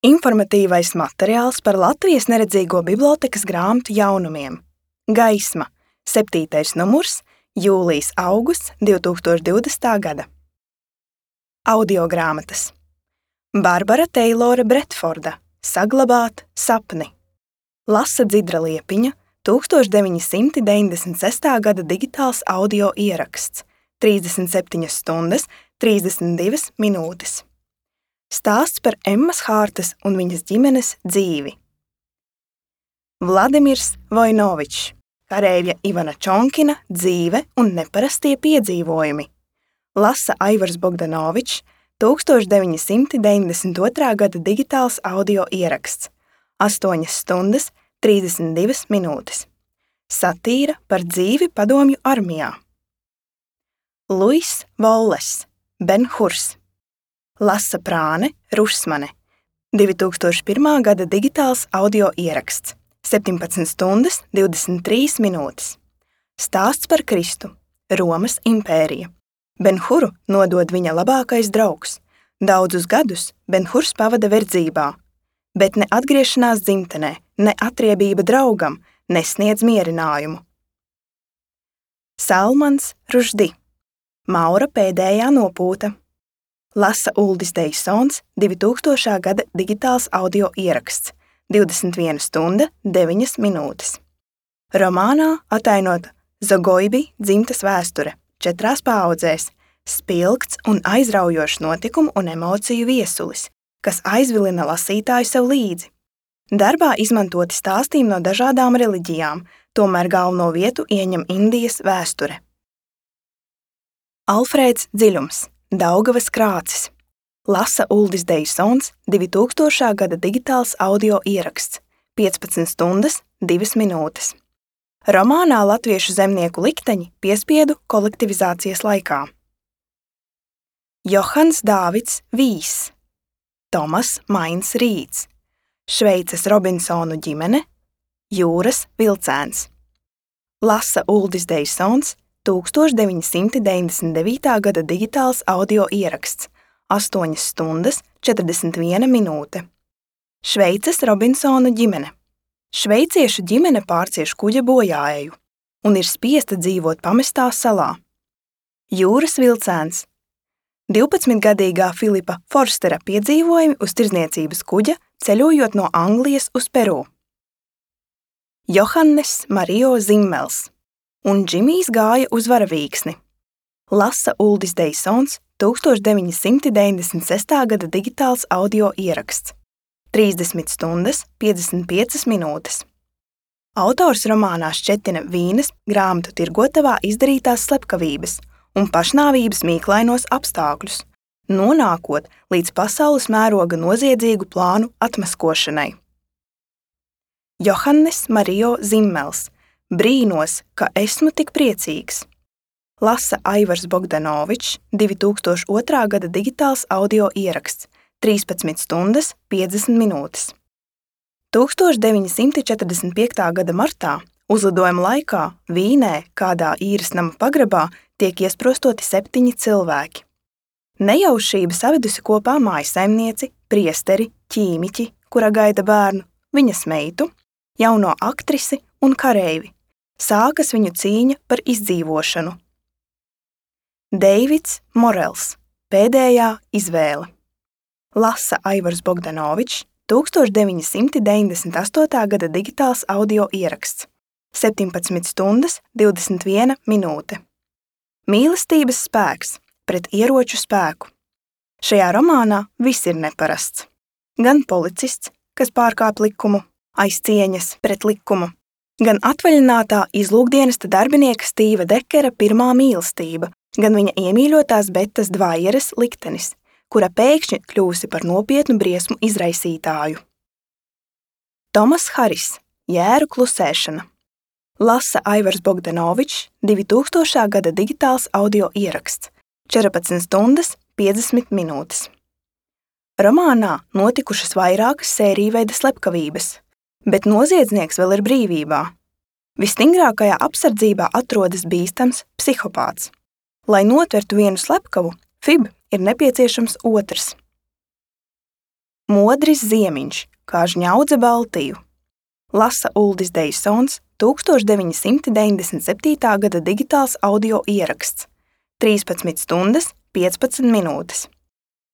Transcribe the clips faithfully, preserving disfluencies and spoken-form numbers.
Informatīvais materiāls par Latvijas neredzīgo bibliotēkas grāmatu jaunumiem. Gaisma, septītais numurs, jūlijs-augusts divi tūkstoši divdesmitā gada. Audiogrāmatas. Barbara Teilore Bretforda, Saglabāt sapni. Lasa Dzidra Liepiņa, tūkstoš deviņi simti deviņdesmit sestā gada digitāls audio ieraksts, trīsdesmit septiņas stundas, trīsdesmit divas minūtes. Stāsts par Emmas Hārtas un viņas ģimenes dzīvi. Vladimirs Vojnovičs, kareivja Ivana Čonkina dzīve un neparastie piedzīvojumi. Lasa Aivars Bogdanovičs, tūkstoš deviņi simti deviņdesmit otrā gada digitāls audio ieraksts, astoņas stundas, trīsdesmit divas minūtes. Satīra par dzīvi padomju armijā. Luis Volles, Ben-Hurs. Lasa Prāne Rusmane, divi tūkstoši pirmā gada digitāls audio ieraksts, septiņpadsmit stundas, divdesmit trīs minūtes. Stāsts par Kristu, Romas impērija. Ben-Huru nodod viņa labākais draugs. Daudzus gadus Ben-Hurs pavada verdzībā, bet ne atgriešanās dzimtenē, ne atriebība draugam nesniedz mierinājumu. Salmans Ruždi, Maura pēdējā nopūta. Lasa Uldis Deisons, divi tūkstošā gada digitāls audio ieraksts, divdesmit viena stunda, deviņas minūtes. Romānā atainota Zagoibi dzimtas vēsture, četrās paaudzēs, spilgts un aizraujošs notikumu un emociju viesulis, kas aizvilina lasītāju sev līdzi. Darbā izmantoti stāstījumi no dažādām reliģijām, tomēr galveno vietu ieņem Indijas vēsture. Alfrēds Dziļums, Daugavas krācis. Lasa Uldis Deisons, divi tūkstošā gada digitāls audio ieraksts, piecpadsmit stundas, divas minūtes. Romānā latviešu zemnieku likteņi piespiedu kolektivizācijas laikā. Johans Dāvids Vīs, Tomas Mains Rīds, Šveices Robinsonu ģimene, Jūras vilcēns. Lasa Uldis Deisons, tūkstoš deviņi simti deviņdesmit devītā gada digitāls audio ieraksts, astoņas stundas, četrdesmit viena minūte. Šveices Robinsonu ģimene. Šveiciešu ģimene pārcieš kuģa bojāeju un ir spiesta dzīvot pamestā salā. Jūras vilcēns. divpadsmitgadīgā Filipa Forstera piedzīvojumi uz tirdzniecības kuģa, ceļojot no Anglijas uz Peru. Johannes Marijo Zimmels. Un Džimijs gāja uz varavīksni. Lasa Uldis Deisons, tūkstoš deviņi simti deviņdesmit sestā gada digitāls audio ieraksts, trīsdesmit stundas, piecdesmit piecas minūtes. Autors romānā šķetina Vīnes grāmatu tirgotavā izdarītās slepkavības un pašnāvības mīklainos apstākļus, nonākot līdz pasaules mēroga noziedzīgu plānu atmaskošanai. Johannes Marijo Zimmels. Brīnos, ka esmu tik priecīgs. Lasa Aivars Bogdanovičs, divi tūkstoši otrā gada digitāls audio ieraksts, trīspadsmit stundas, piecdesmit minūtes. tūkstoš deviņi simti četrdesmit piektā gada martā uzlidojuma laikā Vīnē, kādā īres nama pagrabā, tiek iesprostoti septiņi cilvēki. Nejaušība savedusi kopā mājsaimnieci, priesteri, ķīmiķi, kura gaida bērnu, viņas meitu, jauno aktrisi un kareivi. Sākas viņu cīņa par izdzīvošanu. Deivids Morels, Pēdējā izvēle. Lasa Aivars Bogdanovičs, tūkstoš deviņi simti deviņdesmit astotā gada digitāls audio ieraksts, septiņpadsmit stundas, divdesmit viena minūte. Mīlestības spēks pret ieroču spēku. Šajā romānā viss ir neparasts. Gan policists, kas pārkāp likumu, aiz cieņas pret likumu, gan atvaļinātā izlūkdienesta darbinieka Stīva Dekera pirmā mīlestība, gan viņa iemīļotās Betas Dvajeres liktenis, kura pēkšņi kļūsi par nopietnu briesmu izraisītāju. Tomas Haris, Jēru klusēšana. Lasa Aivars Bogdanovičs, divi tūkstošā gada digitāls audio ieraksts, četrpadsmit stundas, piecdesmit minūtes. Romānā notikušas vairākas sērijveida slepkavības, bet noziedznieks vēl ir brīvībā. Visstingrākajā apsardzībā atrodas bīstams psihopāts. Lai notvertu vienu slepkavu, Fib ir nepieciešams otrs. Modris Ziemiņš, kā žņaudze Baltiju. Lasa Uldis Deisons, tūkstoš deviņi simti deviņdesmit septītā gada digitāls audio ieraksts, trīspadsmit stundas, piecpadsmit minūtes.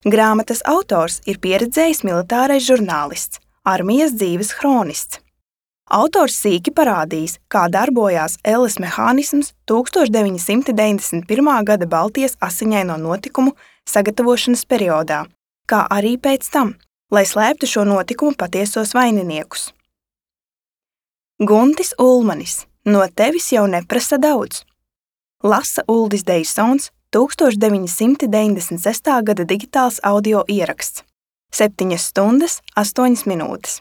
Grāmatas autors ir pieredzējis militārais žurnālists, armijas dzīves hronists. Autors sīki parādījis, kā darbojās elles mehānisms tūkstoš deviņi simti deviņdesmit pirmā gada Baltijas asiņaino notikumu sagatavošanas periodā, kā arī pēc tam, lai slēptu šo notikumu patiesos vaininiekus. Guntis Ulmanis, no tevis jau neprasa daudz. Lasa Uldis Deisons, tūkstoš deviņi simti deviņdesmit sestā gada digitāls audio ieraksts, septiņas stundas, astoņas minūtes.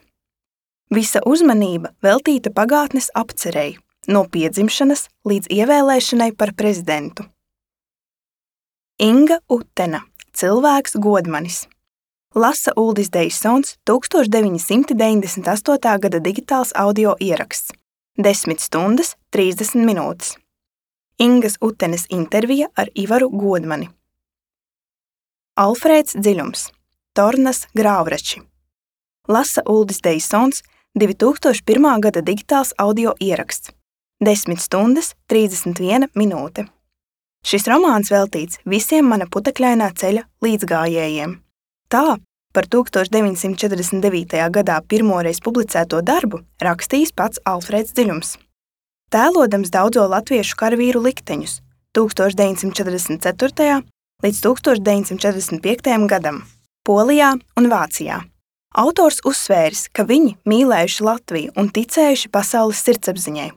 Visa uzmanība veltīta pagātnes apcerei, no piedzimšanas līdz ievēlēšanai par prezidentu. Inga Utena, cilvēks Godmanis. Lasa Uldis Deisons, tūkstoš deviņi simti deviņdesmit astotā gada digitāls audio ieraksts, desmit stundas, trīsdesmit minūtes. Ingas Utenes intervija ar Ivaru Godmani. Alfrēds Dziļums, Tornas Grāvrači. Lasa Uldis Deisons, divi tūkstoši pirmā gada digitāls audio ieraksts, desmit stundas, trīsdesmit viena minūte. Šis romāns veltīts visiem mana putekļainā ceļa līdzgājējiem. Tā par tūkstoš deviņi simti četrdesmit devītajā gadā pirmoreiz publicēto darbu rakstījis pats Alfrēds Dziļums. Tēlodams daudzo latviešu karavīru likteņus tūkstoš deviņi simti četrdesmit ceturtajā līdz tūkstoš deviņi simti četrdesmit piektajam gadam Polijā un Vācijā. Autors uzsvēris, ka viņi mīlējuši Latviju un ticējuši pasaules sirdsapziņai.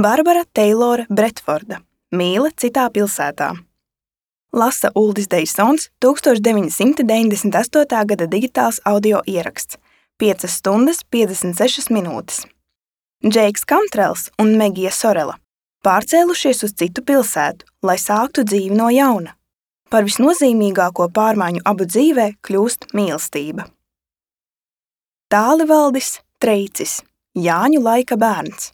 Barbara Teilora Bretforda, Mīle citā pilsētā. Lasa Uldis Deisons, tūkstoš deviņi simti deviņdesmit astotā gada digitāls audio ieraksts, piecas stundas, piecdesmit sešas minūtes. Džeiks Kantrels un Megija Sorela pārcēlušies uz citu pilsētu, lai sāktu dzīvi no jauna. Par visnozīmīgāko pārmaiņu abu dzīvē kļūst mīlestība. Tālivaldis Treicis, Jāņu laika bērns.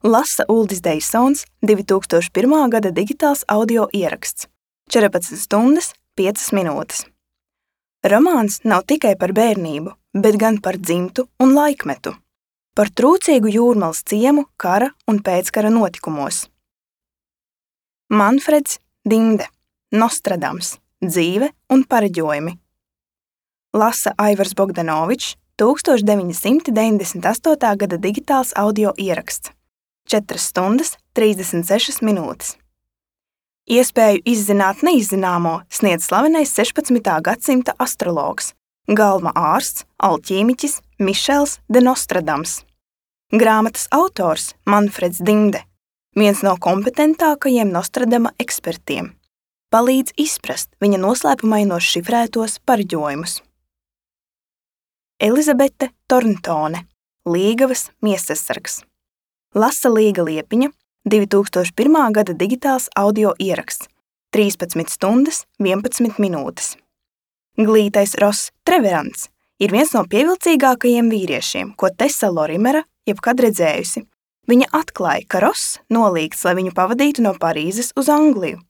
Lasa Uldis Deisons, divi tūkstoši pirmā gada digitāls audio ieraksts, četrpadsmit stundas, piecas minūtes. Romāns nav tikai par bērnību, bet gan par dzimtu un laikmetu, par trūcīgu jūrmalas ciemu kara un pēckara notikumos. Manfreds Dinde, Nostradams, dzīve un pareģojumi. Lasa Aivars Bogdanovičs, tūkstoš deviņi simti deviņdesmit astotā gada digitāls audio ieraksts, četras stundas, trīsdesmit sešas minūtes. Iespēju izzināt neizzināmo sniedz slavenais sešpadsmitā gadsimta astrologs, galma ārsts, alķīmiķis Mišels de Nostradams. Grāmatas autors Manfreds Dinde, viens no kompetentākajiem Nostradama ekspertiem, palīdz izprast viņa noslēpumainos šifrētos pareģojumus. Elizabete Torntone, Līgavas miesasargs. Lasa Līga Liepiņa, divi tūkstoši pirmā gada digitāls audio ieraksts, trīspadsmit stundas, vienpadsmit minūtes. Glītais Ross Treverants ir viens no pievilcīgākajiem vīriešiem, ko Tessa Lorimera jebkad redzējusi. Viņa atklāja, ka Ross nolīgts, lai viņu pavadītu no Parīzes uz Angliju.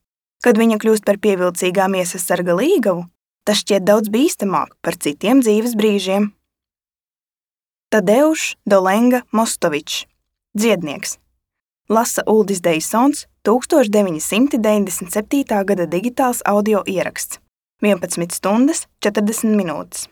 Kad viņa kļūst par pievilcīgā miesasarga Līgavu, tas šķiet daudz bīstamāk par citiem dzīves brīžiem. Tadeuš Dolenga Mostovičs, dziednieks. Lasa Uldis Deisons, tūkstoš deviņi simti deviņdesmit septītā gada digitāls audio ieraksts, vienpadsmit stundas, četrdesmit minūtes.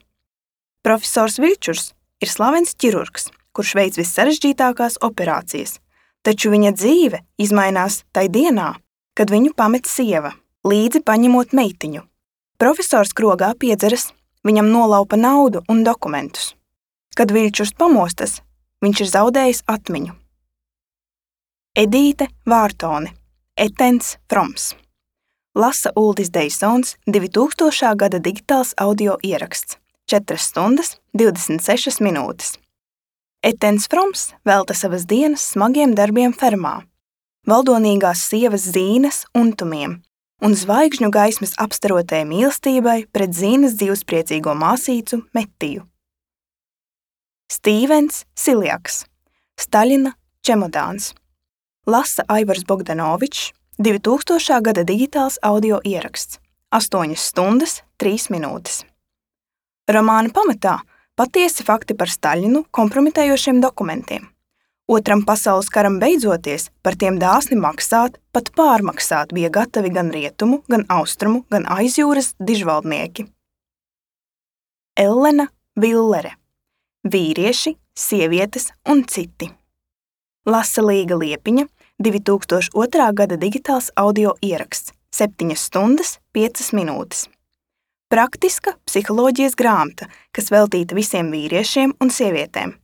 Profesors Viļčurs ir slavens ķirurgs, kurš veic vissarežģītākās operācijas, taču viņa dzīve izmainās tai dienā, kad viņu pamet sieva, līdzi paņemot meitiņu. Profesors krogā piedzeras, viņam nolaupa naudu un dokumentus. Kad Viļčurs pamostas, viņš ir zaudējis atmiņu. Edīte Vārtone, Etens Froms. Lasa Uldis Deisons, divi tūkstošā gada digitāls audio ieraksts, četras stundas, divdesmit sešas minūtes. Etens Froms velta savas dienas smagiem darbiem fermā, valdonīgās sievas Zīnes untumiem un zvaigžņu gaismas apstarotai mīlestībai pret Zīnes dzīvspriecīgo māsīcu Metiju. Stīvens Siljaks, Staļina čemodāns. Lasa Aivars Bogdanovičs, divi tūkstošā gada digitāls audio ieraksts, astoņas stundas, trīs minūtes. Romāna pamatā patiesi fakti par Staļinu kompromitējošiem dokumentiem. Otram pasaules karam beidzoties, par tiem dāsni maksāt, pat pārmaksāt bija gatavi gan rietumu, gan austrumu, gan aizjūras dižvaldnieki. Ellena Villere. Vīrieši, sievietes un citi. Lasa Līga Liepiņa, divi tūkstoši otrā gada digitāls audio ieraksts, septiņas stundas, piecas minūtes. Praktiska psiholoģijas grāmata, kas veltīta visiem vīriešiem un sievietēm.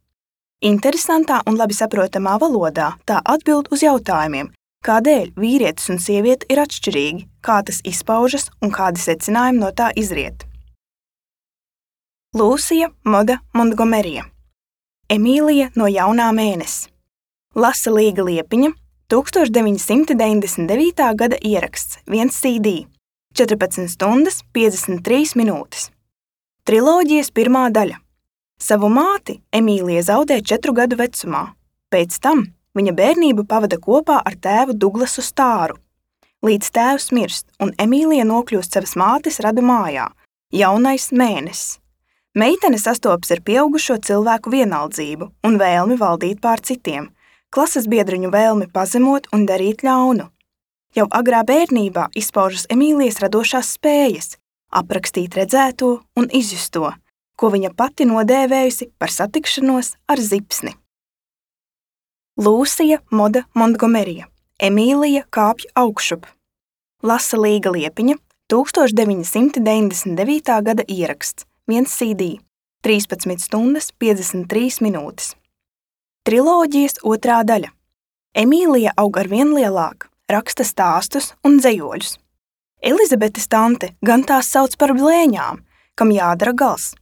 Interesantā un labi saprotamā valodā tā atbild uz jautājumiem, kādēļ vīrietis un sieviete ir atšķirīgi, kā tas izpaužas un kādi secinājumi no tā izriet. Lūsija Moda Montgomerija. Emīlija no jaunā mēnesa. Lasa Līga Liepiņa, tūkstoš deviņi simti deviņdesmit devītā gada ieraksts, viens C D, četrpadsmit stundas, piecdesmit trīs minūtes. Triloģijas pirmā daļa. Savu māti Emīlija zaudē četru gadu vecumā. Pēc tam viņa bērnību pavada kopā ar tēvu Duglasu Stāru. Līdz tēvs mirst un Emīlija nokļūst savas mātes radu mājā, jaunais mēnesis. Meitene sastopas ar pieaugušo cilvēku vienaldzību un vēlmi valdīt pār citiem, klases biedriņu vēlmi pazemot un darīt ļaunu. Jau agrā bērnībā izpaužas Emīlijas radošās spējas, aprakstīt redzēto un izjusto, ko viņa pati nodēvējusi par satikšanos ar zipsni. Lūsija Moda Montgomerija. Emīlija kāpj augšup. Lasa Līga Liepiņa, tūkstoš deviņi simti deviņdesmit devītā gada ieraksts, viens C D, trīspadsmit stundas, piecdesmit trīs minūtes. Triloģijas otrā daļa. Emīlija aug arvien lielāka, raksta stāstus un dzejoļus. Elizabetes tante gan tās sauc par blēņām, kam jādara gals.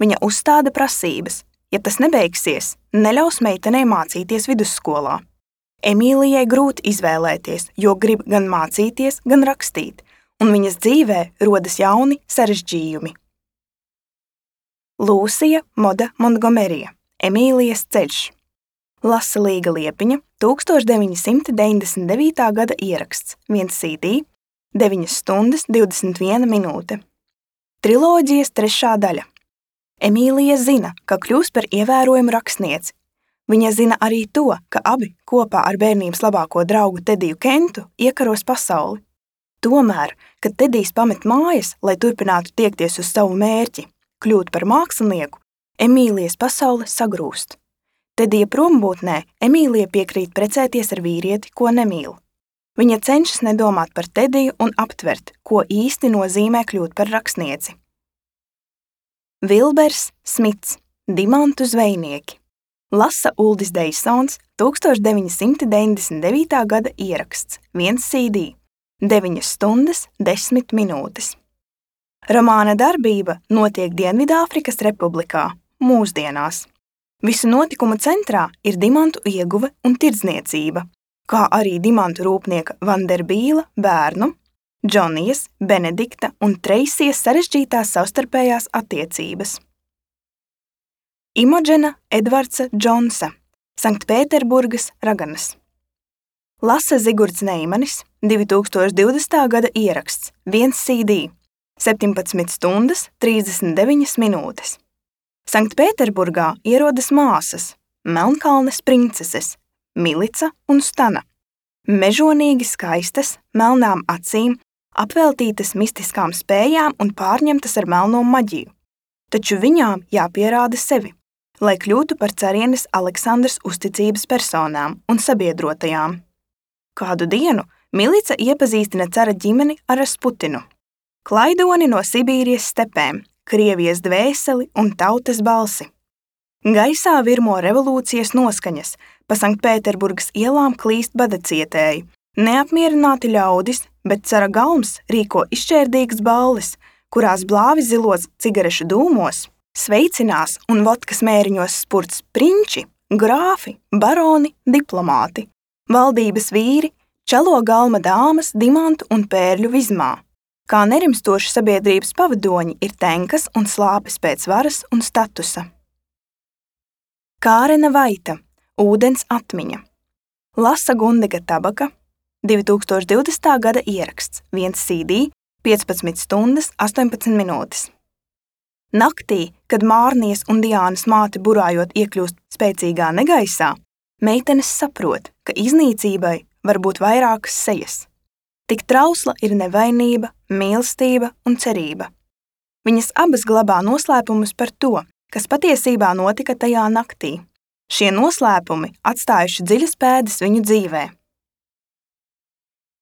Viņa uzstāda prasības, ja tas nebeigsies, neļaus meitenei mācīties vidusskolā. Emīlijai grūti izvēlēties, jo grib gan mācīties, gan rakstīt, un viņas dzīvē rodas jauni sarežģījumi. Lūsija Moda Montgomerija. Emīlijas ceļš. Lasa Līga Liepiņa, tūkstoš deviņi simti deviņdesmit devītā gada ieraksts, viens C D, deviņas stundas, divdesmit viena minūte. Triloģijas trešā daļa. Emīlija zina, ka kļūs par ievērojumu rakstnieci. Viņa zina arī to, ka abi kopā ar bērnības labāko draugu Tediju Kentu iekaros pasauli. Tomēr, kad Tedijs pamet mājas, lai turpinātu tiekties uz savu mērķi, kļūt par mākslinieku, Emīlijas pasaule sagrūst. Tedija prombūtnē Emīlija piekrīt precēties ar vīrieti, ko nemīl. Viņa cenšas nedomāt par Tediju un aptvert, ko īsti nozīmē kļūt par rakstnieci. Vilbers Smits. Dimantu zvejnieki. Lasa Uldis Deisons, tūkstoš deviņi simti deviņdesmit devītā gada ieraksts, viens C D, deviņas stundas, desmit minūtes. Romāna darbība notiek Dienvidāfrikas Republikā, mūsdienās. Visu notikumu centrā ir dimantu ieguve un tirdzniecība, kā arī dimantu rūpnieka Vanderbīla bērnu, Džonijas, Benedikta un Treisijas sarežģītās savstarpējās attiecības. Imodžena Edvardsa Džonsa, Sanktpēterburgas raganas. Lasa Zigurds Neimanis, divi tūkstoši divdesmitā gada ieraksts, viens C D, septiņpadsmit stundas, trīsdesmit deviņas minūtes. Sanktpēterburgā ierodas māsas, Melnkalnes princeses, Milica un Stana. Mežonīgi skaistas, melnām acīm, apveltītas mistiskām spējām un pārņemtas ar melno maģiju. Taču viņām jāpierāda sevi, lai kļūtu par carienes Aleksandras uzticības personām un sabiedrotajām. Kādu dienu Milica iepazīstina cara ģimeni ar Rasputinu, klaidoni no Sibīrijas stepēm, Krievijas dvēseli un tautas balsi. Gaisā virmo revolūcijas noskaņas, pa Sanktpēterburgas ielām klīst badacietēji, neapmierināti ļaudis, bet cara galms rīko izšķērdīgas balles, kurās blāvi zilos cigarešu dūmos, sveicinās un vodkas mēriņos spurts prinči, grāfi, baroni, diplomāti, valdības vīri, čalo galma dāmas dimantu un pērļu vizmā. Kā nerimstoši sabiedrības pavadoņi ir tenkas un slāpes pēc varas un statusa. Kārena Vaita. Ūdens atmiņa. Lasa Gundega Tabaka. divi tūkstoši divdesmitā gada ieraksts, viens C D, piecpadsmit stundas, astoņpadsmit minūtes. Naktī, kad Mārnijas un Diānas māte burājot iekļūst spēcīgā negaisā, meitenes saprot, ka iznīcībai var būt vairākas sejas. Tik trausla ir nevainība, mīlestība un cerība. Viņas abas glabā noslēpumus par to, kas patiesībā notika tajā naktī. Šie noslēpumi atstājuši dziļas pēdas viņu dzīvē.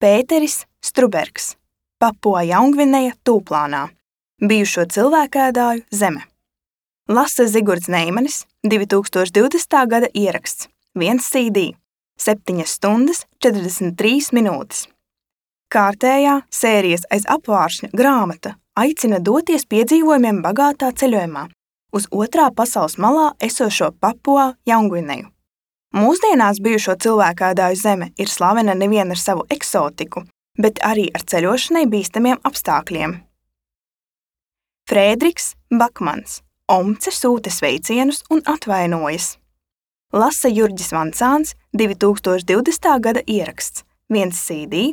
Pēteris Strubergs, Papua Jaungvineja tūplānā, bijušo cilvēkēdāju zeme. Lasa Zigurds Neimanis, divi tūkstoši divdesmitā gada ieraksts, viens C D, septiņas stundas četrdesmit trīs minūtes. Kārtējā sērijas aiz apvāršņa grāmata aicina doties piedzīvojumiem bagātā ceļojumā uz otrā pasaules malā esošo Papua Jaungvineju. Mūsdienās bijušo cilvēkēdāju zeme ir slavena nevien ar savu eksotiku, bet arī ar ceļošanai bīstamiem apstākļiem. Frēdriks Bakmans, Omce sūta sveicienus un atvainojas. Lasa Jurģis Vancāns, divi tūkstoši divdesmitā gada ieraksts, viens C D,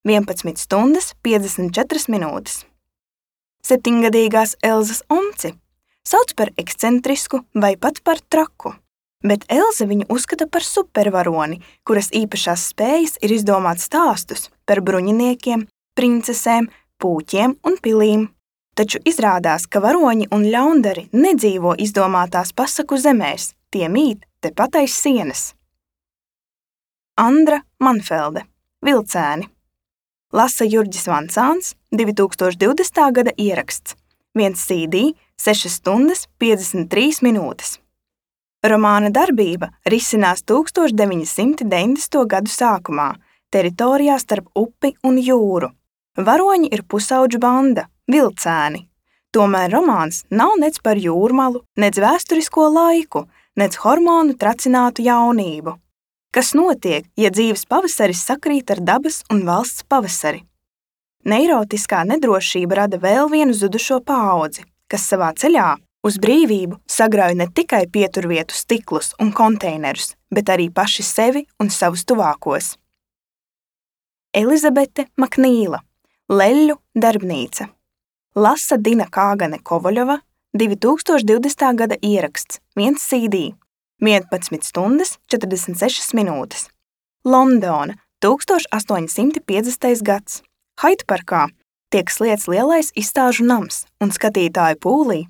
vienpadsmit stundas piecdesmit četras minūtes. Septiņgadīgās Elzas Omci sauc par ekscentrisku vai pat par traku, bet Elze viņu uzskata par supervaroni, kuras īpašās spējas ir izdomāt stāstus par bruņiniekiem, princesēm, pūķiem un pilīm. Taču izrādās, ka varoņi un ļaundari nedzīvo izdomātās pasaku zemēs, tie mīt tepat aiz sienas. Andra Manfelde, Vilcēni. Lasa Jurģis Vancāns, divi tūkstoši divdesmitā gada ieraksts, viens C D, sešas stundas piecdesmit trīs minūtes. Romāna darbība risinās tūkstoš deviņi simti deviņdesmito gadu sākumā, teritorijā starp upi un jūru. Varoņi ir pusauģu banda, Vilcēni. Tomēr romāns nav nec par jūrmalu, nec vēsturisko laiku, nec hormonu tracinātu jaunību. Kas notiek, ja dzīves pavasaris sakrīt ar dabas un valsts pavasari? Neirotiskā nedrošība rada vēl vienu zudušo paudzi, kas savā ceļā uz brīvību sagrauj ne tikai pieturvietu stiklus un konteinerus, bet arī paši sevi un savus tuvākos. Elizabete Maknīla, Leļļu darbnīca. Lasa Dina Kāgane Kovaļova, divi tūkstoši divdesmitā gada ieraksts, viens C D, vienpadsmit stundas četrdesmit sešas minūtes. Londona, tūkstoš astoņi simti piecdesmitais gads. Haidparkā tiek sliets lielais izstāžu nams un skatītāju pūlī,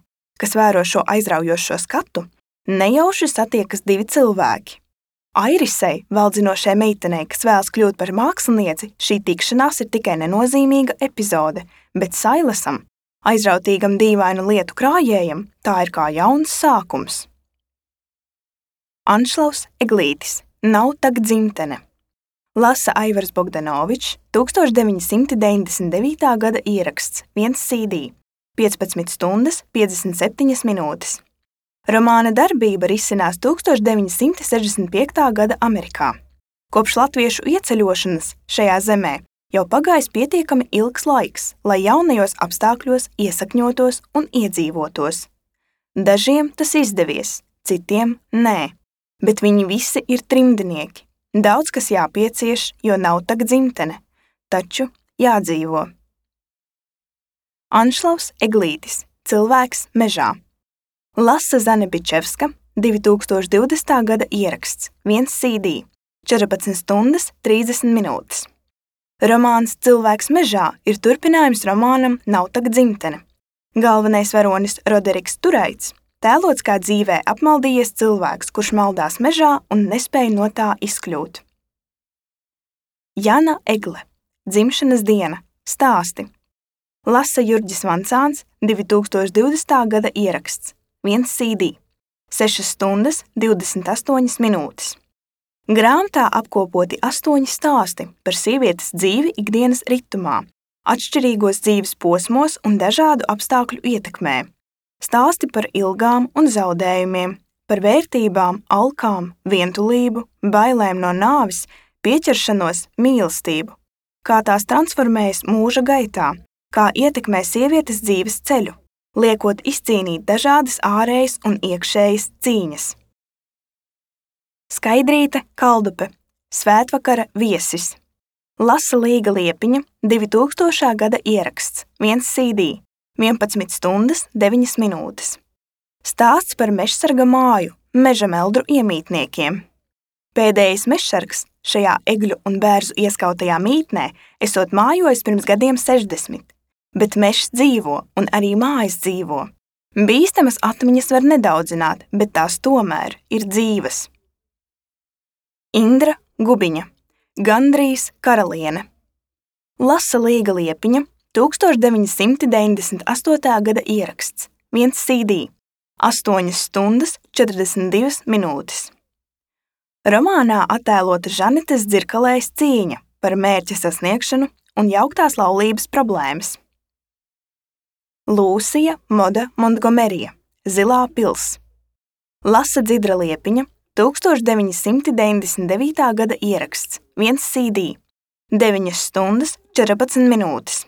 kas vēro šo aizraujošo skatu, nejauši satiekas divi cilvēki. Airisei, valdzinošai meitenei, kas vēlas kļūt par mākslinieci, šī tikšanās ir tikai nenozīmīga epizode, bet Sailasam, aizrautīgam dīvainu lietu krājējam, tā ir kā jauns sākums. Anšlaus Eglītis, Nav tak dzimtene. Lasa Aivars Bogdanovičs, tūkstoš deviņi simti deviņdesmit devītā gada ieraksts, viens C D, piecpadsmit stundas piecdesmit septiņas minūtes. Romāna darbība risinās tūkstoš deviņi simti sešdesmit piektā gada Amerikā. Kopš latviešu ieceļošanas šajā zemē jau pagājis pietiekami ilgs laiks, lai jaunajos apstākļos iesakņotos un iedzīvotos. Dažiem tas izdevies, citiem nē, bet viņi visi ir trimdnieki. Daudz kas jāpiecieš, jo nav tak dzimtene, taču jādzīvo. Anšlaus Eglītis, Cilvēks mežā. Lasa Zane Bičevska, divi tūkstoši divdesmitā gada ieraksts, viens C D, četrpadsmit stundas trīsdesmit minūtes. Romāns Cilvēks mežā ir turpinājums romānam Nav tak dzimtene. Galvenais varonis Roderiks Turaits tēlots kā dzīvē apmaldījies cilvēks, kurš maldās mežā un nespēja no tā izkļūt. Jana Egle, Dzimšanas diena, stāsti. Lasa Jurģis Vancāns, divi tūkstoši divdesmitā gada ieraksts, viens C D, sešas stundas divdesmit astoņas minūtes. Grāmatā apkopoti astoņi stāsti par sievietes dzīvi ikdienas ritumā, atšķirīgos dzīves posmos un dažādu apstākļu ietekmē. Stāsti par ilgām un zaudējumiem, par vērtībām, alkām, vientulību, bailēm no nāvis, pieķeršanos, mīlestību, kā tās transformējas mūža gaitā, kā ietekmē sievietes dzīves ceļu, liekot izcīnīt dažādas ārējas un iekšējas cīņas. Skaidrīte Kaldupe, Svētvakara viesis. Lasa Līga Liepiņa, divi tūkstošā gada ieraksts, viens C D, vienpadsmit stundas deviņas minūtes. Stāsts par mežsarga māju meža meldru iemītniekiem. Pēdējais mežsargs šajā egļu un bērzu ieskautajā mītnē esot mājojis pirms gadiem sešdesmit, bet mežs dzīvo un arī mājas dzīvo. Bīstamas atmiņas var nedaudzināt, bet tās tomēr ir dzīves. Indra Gubiņa, gandrīz karaliene. Lasa Līga Liepiņa, tūkstoš deviņi simti deviņdesmit astotā gada ieraksts, viens C D, astoņas stundas četrdesmit divas minūtes. Romānā attēlota Žanetes Dzirkalējas cīņa par mērķa sasniegšanu un jauktās laulības problēmas. Lūsija Moda Montgomerija, Zilā pils. Lasa Dzidra Liepiņa, tūkstoš deviņi simti deviņdesmit devītā gada ieraksts, viens C D, deviņas stundas četrpadsmit minūtes.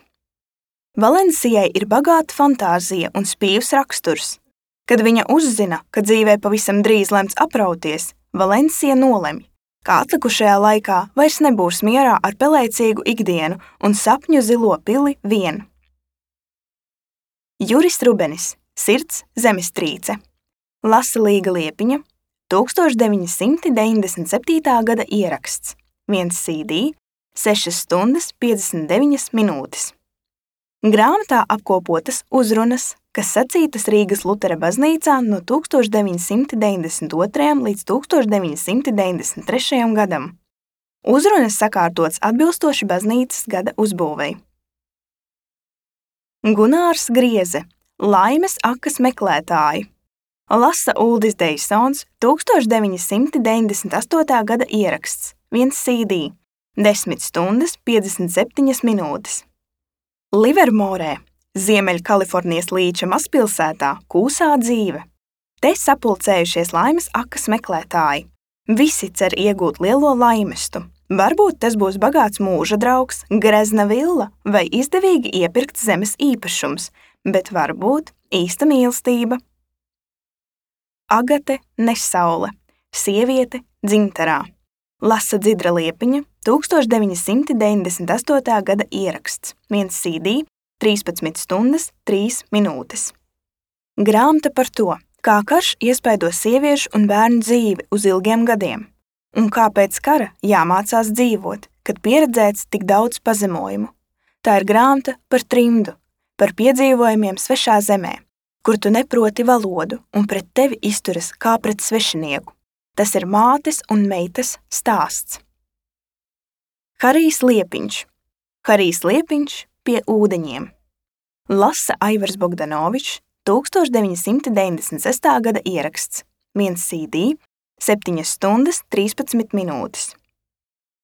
Valencijai ir bagāta fantāzija un spīvs raksturs. Kad viņa uzzina, ka dzīvē pavisam drīz lemts aprauties, Valencija nolemj, ka atlikušajā laikā vairs nebūs mierā ar pelēcīgu ikdienu un sapņu zilo pili vien. Juris Rubenis, Sirds zemestrīce. Lasa Līga Liepiņa, tūkstoš deviņi simti deviņdesmit septītā gada ieraksts, viens C D, sešas stundas piecdesmit deviņas minūtes. Grāmatā apkopotas uzrunas, kas sacītas Rīgas Lutera baznīcā no tūkstoš deviņi simti deviņdesmit otrajam līdz tūkstoš deviņi simti deviņdesmit trešajam gadam. Uzrunas sakārtotas atbilstoši baznīcas gada uzbūvei. Gunārs Grieze, Laimes akas meklētāji. Lasa Uldis Deisons, tūkstoš deviņi simti deviņdesmit astotā gada ieraksts, viens C D, desmit stundas piecdesmit septiņas minūtes. Livermorē, Ziemeļkalifornijas līča mazpilsētā, kūsā dzīve. Te sapulcējušies laimes akas meklētāji. Visi cer iegūt lielo laimestu. Varbūt tas būs bagāts mūža draugs, grezna villa vai izdevīgi iepirkts zemes īpašums, bet varbūt īsta mīlestība. Agate Nesaule, sieviete dzimtarā. Lasa Dzidra Liepiņa, tūkstoš deviņi simti deviņdesmit astotā gada ieraksts, viens C D, trīspadsmit stundas trīs minūtes. Grāmata par to, kā karš iespaido sieviešu un bērnu dzīvi uz ilgiem gadiem, un kā pēc kara jāmācās dzīvot, kad pieredzēts tik daudz pazemojumu. Tā ir grāmata par trimdu, par piedzīvojumiem svešā zemē, kur tu neproti valodu un pret tevi izturas kā pret svešinieku. Tas ir mātes un meitas stāsts. Harijs Liepiņš. Harijs Liepiņš pie ūdeņiem. Lasa Aivars Bogdanovičs, tūkstoš deviņi simti deviņdesmit sestā gada ieraksts, viens C D, septiņas stundas trīspadsmit minūtes.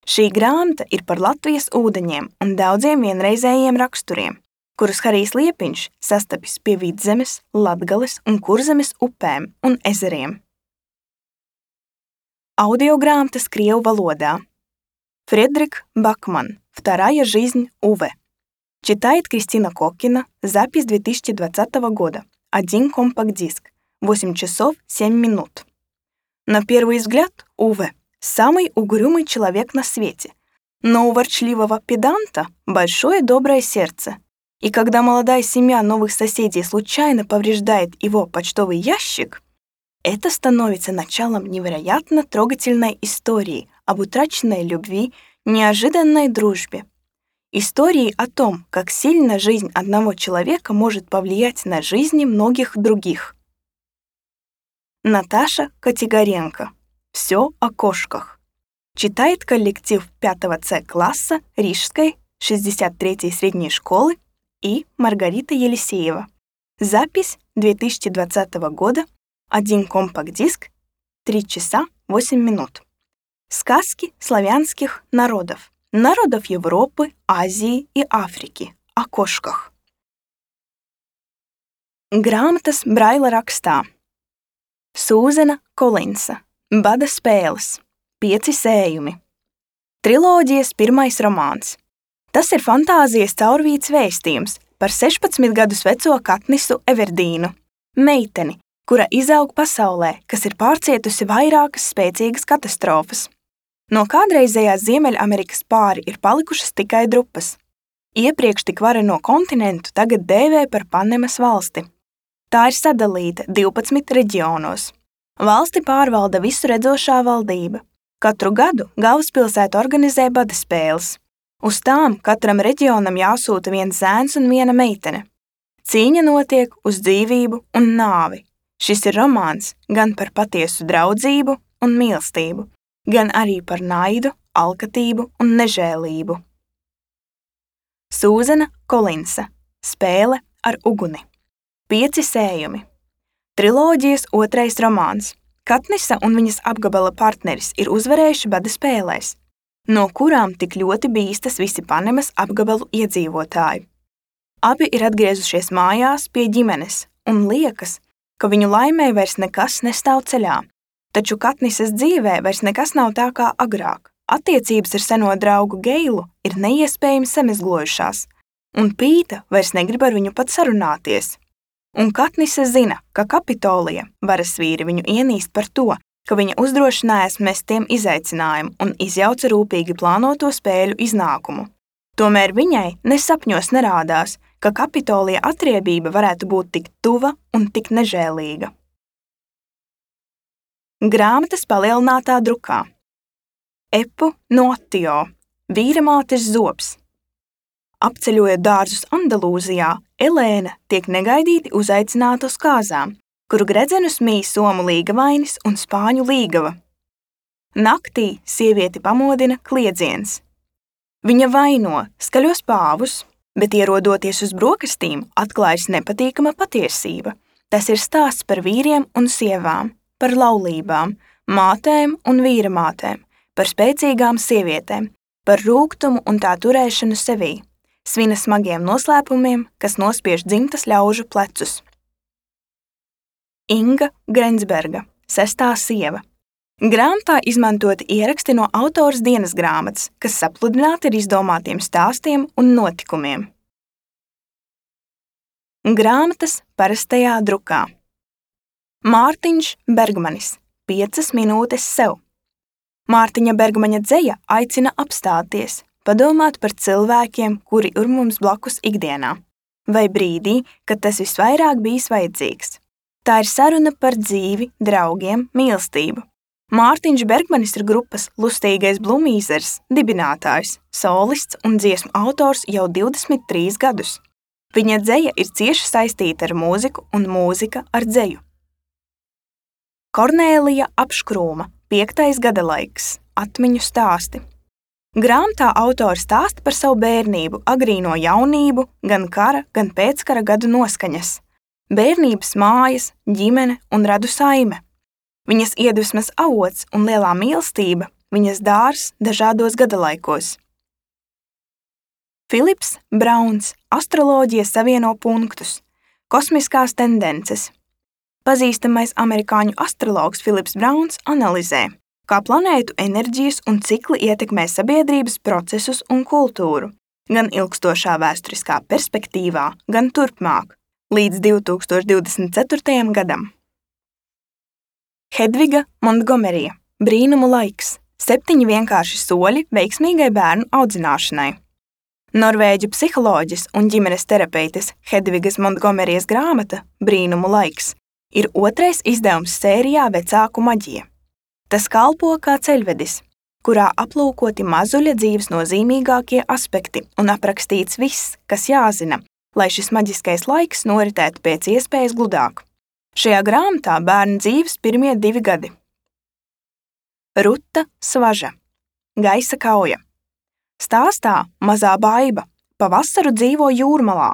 Šī grāmata ir par Latvijas ūdeņiem un daudziem vienreizējiem raksturiem, kurus Harijs Liepiņš sastapis pie Vidzemes, Latgales un Kurzemes upēm un ezeriem. Audiogrāmatas krievu валода. Фредерик Бакман. Вторая жизнь Уве. Читает Кристина Кокина. Запись две тысячи двадцатого года. Один компакт-диск. восемь часов семь минут. На первый взгляд Уве – самый угрюмый человек на свете. Но у ворчливого педанта большое доброе сердце. И когда молодая семья новых соседей случайно повреждает его почтовый ящик, это становится началом невероятно трогательной истории об утраченной любви, неожиданной дружбе. Истории о том, как сильно жизнь одного человека может повлиять на жизни многих других. Наташа Котигоренко. Все о кошках. Читает коллектив пятого С класса Рижской шестьдесят третьей средней школы и Маргарита Елисеева. Запись две тысячи двадцатого года. Один компакт-диск, три часа восемь минут. Сказки славянских народов. Народов Европы, Азии и Африки. О кошках. Grāmatas Braila rakstā. Sūzena Kolinsa. Bada spēles. Pieci sējumi. Triloģijas pirmais romāns. Tas ir fantāzijas caurvīts vēstījums par sešpadsmit gadus veco Katnisu Everdīnu, meiteni, kura izaug pasaulē, kas ir pārcietusi vairākas spēcīgas katastrofas. No kādreizējās Ziemeļamerikas pāri ir palikušas tikai drupas. Iepriekš tik vareno kontinentu tagad dēvē par Panemas valsti. Tā ir sadalīta divpadsmit reģionos. Valsti pārvalda visu redzošā valdība. Katru gadu galvaspilsēta organizē badespēles. Uz tām katram reģionam jāsūta viens zēns un viena meitene. Cīņa notiek uz dzīvību un nāvi. Šis ir romāns gan par patiesu draudzību un mīlestību, gan arī par naidu, alkatību un nežēlību. Sūzana Kolinsa. Spēle ar uguni. Pieci sējumi. Triloģijas otrais romāns. Katnisa un viņas apgabala partneris ir uzvarējuši badespēlēs, no kurām tik ļoti bīstas visi Panemas apgabalu iedzīvotāji. Abi ir atgriezušies mājās pie ģimenes un liekas, ka viņu laimē vairs nekas nestāv ceļā, taču Katnisas dzīvē vairs nekas nav tā kā agrāk. Attiecības ar seno draugu Geilu ir neiespējami samezglojušās, un Pīta vairs negrib ar viņu pat sarunāties. Un Katnisa zina, ka Kapitolija varasvīri viņu ienīst par to, ka viņa uzdrošinājās mest tiem izaicinājumu un izjauca rūpīgi plānoto spēļu iznākumu. Tomēr viņai nesapņos nerādās, ka Kapitolija atriebība varētu būt tik tuva un tik nežēlīga. Grāmatas palielinātā drukā. Epu Notio. Vīramātes zobs. Apceļojot dārzus Andalūzijā, Elēna tiek negaidīti uzaicināta uz kāzām, kuru gredzenus mīj somu līgavainis un spāņu līgava. Naktī sievieti pamodina kliedziens. Viņa vaino skaļos pāvus, bet ierodoties uz brokastīm atklājas nepatīkama patiesība. Tas ir stāsts par vīriem un sievām, par laulībām, mātēm un vīramātēm, par spēcīgām sievietēm, par rūgtumu un tā turēšanu sevī. Svina smagiem noslēpumiem, kas nospiež dzimtas ļaužu plecus. Inga Grensberga. Sestā sieva. Grāmatā izmantoti ieraksti no autoras dienas grāmatas, kas sapludināti ar izdomātiem stāstiem un notikumiem. Grāmatas parastajā drukā. Mārtiņš Bergmanis. Piecas minūtes sev. Mārtiņa Bergmaņa dzeja aicina apstāties, padomāt par cilvēkiem, kuri ir mums blakus ikdienā, vai brīdī, kad tas visvairāk bijis vajadzīgs. Tā ir saruna par dzīvi, draugiem, mīlestību. Mārtiņš Bergmanis ir grupas Lustīgais Blumīzers dibinātājs, solists un dziesmu autors jau divdesmit trīs gadus. Viņa dzeja ir cieši saistīta ar mūziku un mūzika ar dzeju. Kornēlija Apškrūma. Piektais gadalaiks. Atmiņu stāsti. Grāmatā autori stāsta par savu bērnību, agrīno jaunību, gan kara, gan pēckara gadu noskaņas. Bērnības mājas, ģimene un radu saime. Viņas iedvesmas avots un lielā mīlestība, viņas dārs dažādos gadalaikos. Filips Brauns. Astroloģija savieno punktus. Kosmiskās tendences. Pazīstamais amerikāņu astrologs Filips Brauns analizē, kā planētu enerģijas un cikli ietekmē sabiedrības procesus un kultūru, gan ilgstošā vēsturiskā perspektīvā, gan turpmāk, līdz divi tūkstoši divdesmit ceturtajam gadam. Hedviga Montgomerija. Brīnumu laiks. Septiņi vienkārši soļi veiksmīgai bērnu audzināšanai. Norvēģu psiholoģis un ģimenes terapeites Hedvigas Montgomerijas grāmata Brīnumu laiks ir otrais izdevums sērijā Vecāku maģija. Tas kalpo kā ceļvedis, kurā aplūkoti mazuļa dzīves nozīmīgākie aspekti un aprakstīts viss, kas jāzina, lai šis maģiskais laiks noritētu pēc iespējas gludāk. Šajā grāmatā bērnu dzīves pirmie divi gadi. Ruta Svaža. Gaisa kauja. Stāstā mazā baiba pa vasaru dzīvo jūrmalā.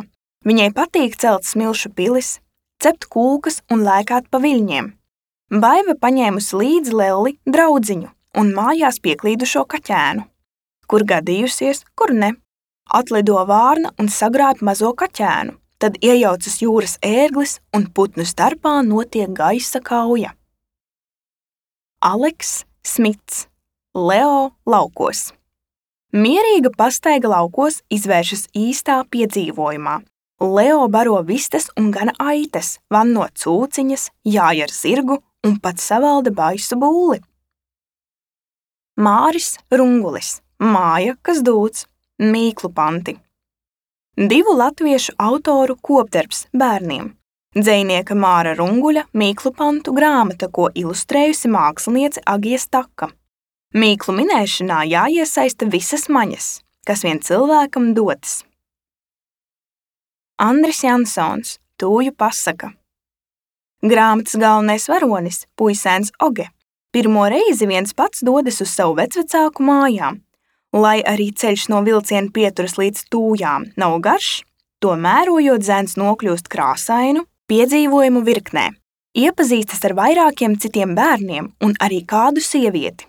Viņai patīk celt smilšu pilis, cept kūkas un lēkāt pa viļņiem. Baiva paņēmusi līdzi Lelli draudziņu un mājās pieklīdušo kaķēnu. Kur gadījusies, kur ne. Atlido vārna un sagrāb mazo kaķēnu, tad iejaucas jūras ērglis un putnu starpā notiek gaisa kauja. Aleks Smits. Leo laukos. Mierīga pastaiga laukos izvēršas īstā piedzīvojumā. Leo baro vistas un gana aitas, vanno cūciņas, jāj ar zirgu un pat savalda baisu būli. Māris Rungulis. Māja, kas dūc. Mīklu panti. divu latviešu autoru kopdarbs bērniem. Dzejnieka Māra Runguļa mīklu pantu grāmata, ko ilustrējusi māksliniece Agija Staka. Mīklu minēšanā jāiesaista visas maņas, kas vien cilvēkam dotas. Andris Jansons, Tūju pasaka. Grāmatas galvenais varonis, puisēns Oge, pirmo reizi viens pats dodas uz savu vecvecāku mājām. Lai arī ceļš no vilciena pieturas līdz Tūjām nav garš, to mērojot zēns nokļūst krāsainu piedzīvojumu virknē, iepazīstas ar vairākiem citiem bērniem un arī kādu sievieti.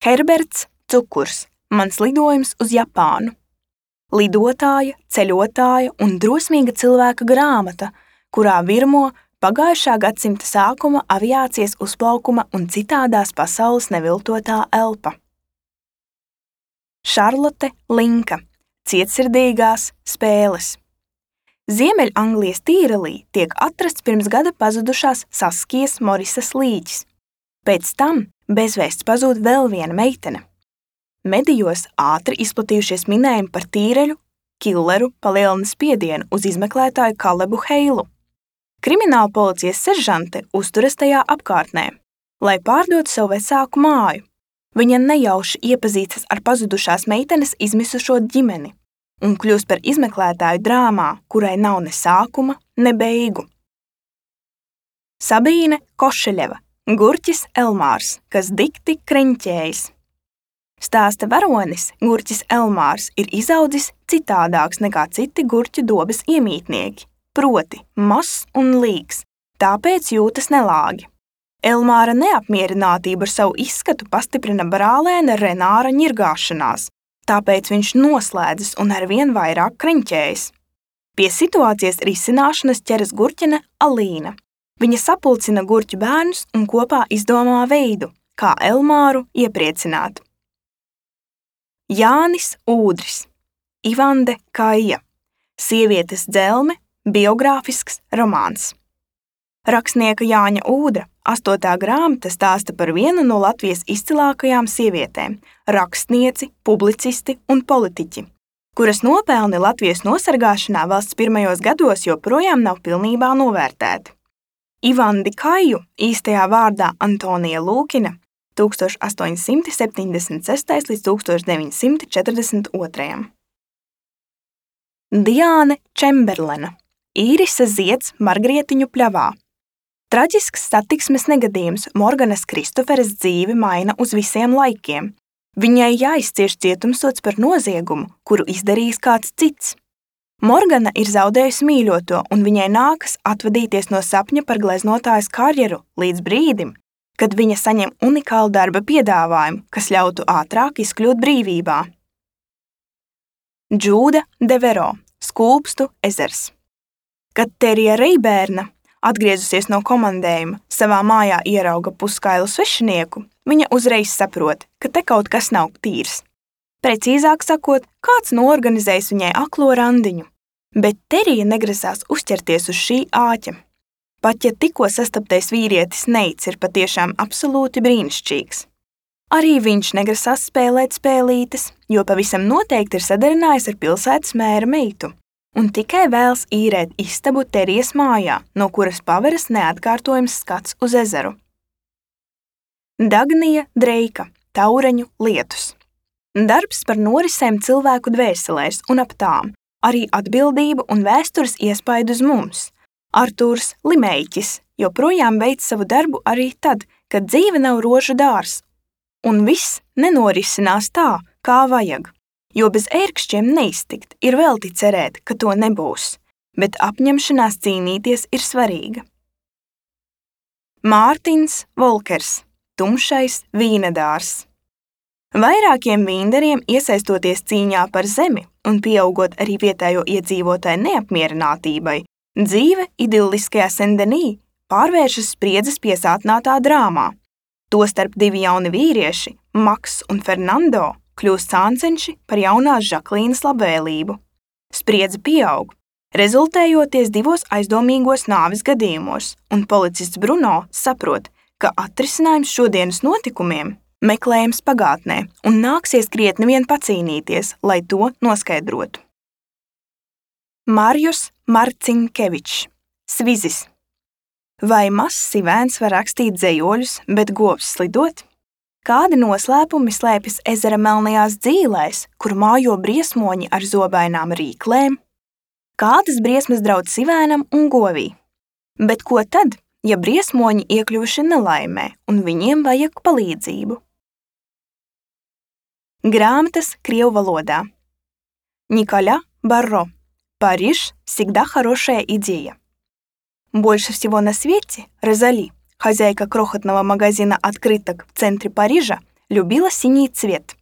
Herberts Cukurs, mans lidojums uz Japānu. Lidotāja, ceļotāja un drosmīga cilvēka grāmata, kurā virmo pagājušā gadsimta sākuma aviācijas uzplaukuma un citādās pasaules neviltotā elpa. Šarlote Linka, cietsirdīgās spēles. Ziemeļanglijas Tīrelī tiek atrasts pirms gada pazudušās Saskijas Morisas līķis. Pēc tam bezvēsts pazūd vēl viena meitene. Medijos ātri izplatījušies minējumi par tīreļu, killeru palielina spiedienu uz izmeklētāju Kalebu Heilu. Krimināla policijas seržante uzturas tajā apkārtnē, lai pārdotu savu vecāku māju. Viņa nejauši iepazīstas ar pazudušās meitenes izmisušo ģimeni un kļūst par izmeklētāju drāmā, kurai nav ne sākuma, ne beigu. Sabīne Košeļeva, Gurķis Elmārs, kas dikti kreņķējas. Stāsta varonis, Gurķis Elmārs, ir izaudzis citādāks nekā citi gurķu dobes iemītnieki, proti mazs un līgs, tāpēc jūtas nelāgi. Elmāra neapmierinātība ar savu izskatu pastiprina brālēna Renāra ņirgāšanās, tāpēc viņš noslēdzas un arvien vairāk kreņķējas. Pie situācijas risināšanas ķeras gurķene Alīna. Viņa sapulcina gurķu bērnus un kopā izdomā veidu, kā Elmāru iepriecināt. Jānis Ūdris, Ivande Kaija, sievietes dzelme, biogrāfisks romāns. Rakstnieka Jāņa Ūdra astotā grāmata stāsta par vienu no Latvijas izcilākajām sievietēm – rakstnieci, publicisti un politiķi, kuras nopelni Latvijas nosargāšanā valsts pirmajos gados joprojām nav pilnībā novērtēti. Ivandi Kaiju, īstajā vārdā Antonija Lūkina, tūkstoš astoņi simti septiņdesmit sestais līdz tūkstoš deviņi simti četrdesmit otrais. Diāne Čemberlena, Īrisa Zieds Margrietiņu pļavā. Traģisks satiksmes negadījums Morganas Kristoferes dzīvi maina uz visiem laikiem. Viņai jāizcieš cietumsods par noziegumu, kuru izdarījis kāds cits. Morgana ir zaudējusi mīļoto, un viņai nākas atvadīties no sapņa par gleznotājas karjeru līdz brīdim, kad viņa saņem unikālu darba piedāvājumu, kas ļautu ātrāk izkļūt brīvībā. Džūda Devero, Skulpstu ezers. Kad Terija Reibērna, atgriezusies no komandējuma, savā mājā ierauga puskailu svešinieku, viņa uzreiz saprot, ka te kaut kas nav tīrs. Precīzāk sakot, kāds noorganizējis viņai aklo randiņu, bet Terija negrasās uzķerties uz šī āķa. Pat ja tikko sastaptais vīrietis Neits ir patiešām absolūti brīnišķīgs. Arī viņš negrasās spēlēt spēlītes, jo pavisam noteikti ir sadarinājis ar pilsētas mēra meitu un tikai vēlas īrēt istabu Terijas mājā, no kuras paveras neatkārtojams skats uz ezeru. Dagnija Dreika, Taureņu lietus. Darbs par norisēm cilvēku dvēselēs un ap tām, arī atbildību un vēstures iespaidu uz mums. Artūrs Limeiķis joprojām veic savu darbu arī tad, kad dzīve nav rožu dārs, un viss nenorisinās tā, kā vajag. Jo bez ērkšķiem neiztikt ir velti cerēt, ka to nebūs, bet apņemšanās cīnīties ir svarīga. Mārtiņš Volkers, Tumšais vīnedārs. Vairākiem vīndariem iesaistoties cīņā par zemi un pieaugot arī vietējo iedzīvotāju neapmierinātībai, dzīve idilliskajā Sendenī pārvēršas spriedzes piesātinātā drāmā. Tostarp divi jauni vīrieši, Maks un Fernando, kļūst sāncenši par jaunās Žaklīnas labvēlību. Spriedze pieaug, rezultējoties divos aizdomīgos nāves gadījumos, un policists Bruno saprot, ka atrisinājums šodienas notikumiem meklējams pagātnē un nāksies krietni vien pacīnīties, lai to noskaidrotu. Marijus Marcinkevičs, Svizis. Vai mazs sivēns var rakstīt dzejoļus, bet govs slidot? Kādi noslēpumi slēpjas ezera melnajās dzīlēs, kur mājo briesmoņi ar zobainām rīklēm? Kādas briesmas draud sivēnam un govī? Bet ko tad, ja briesmoņi iekļuvuši nelaimē un viņiem vajag palīdzību? Grāmatas krievu валода. Николя Барро. Париж всегда хорошая идея. Больше всего на свете Розали, хозяйка крохотного магазина открыток в центре Парижа, любила синий цвет.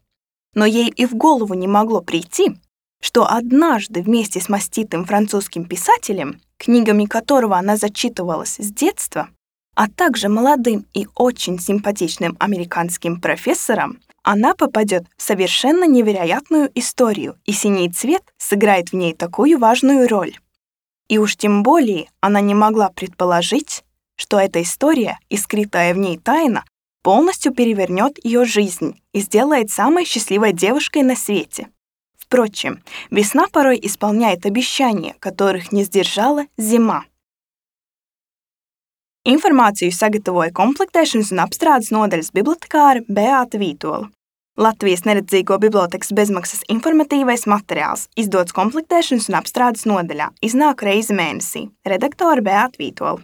Но ей и в голову не могло прийти, что однажды вместе с маститым французским писателем, книгами которого она зачитывалась с детства, а также молодым и очень симпатичным американским профессором, она попадет в совершенно невероятную историю, и синий цвет сыграет в ней такую важную роль. И уж тем более она не могла предположить, что эта история и скрытая в ней тайна полностью перевернет ее жизнь и сделает самой счастливой девушкой на свете. Впрочем, весна порой исполняет обещания, которых не сдержала zima. Informāciju sagatavoja komplektēšanas un apstrādes nodaļas bibliotekāre Beāta Vītola. Latvijas neredzīgo bibliotekas bezmaksas informatīvais materiāls izdots komplektēšanas un apstrādes nodaļā, iznāk reizi mēnesī. Redaktore Beāta Vītola.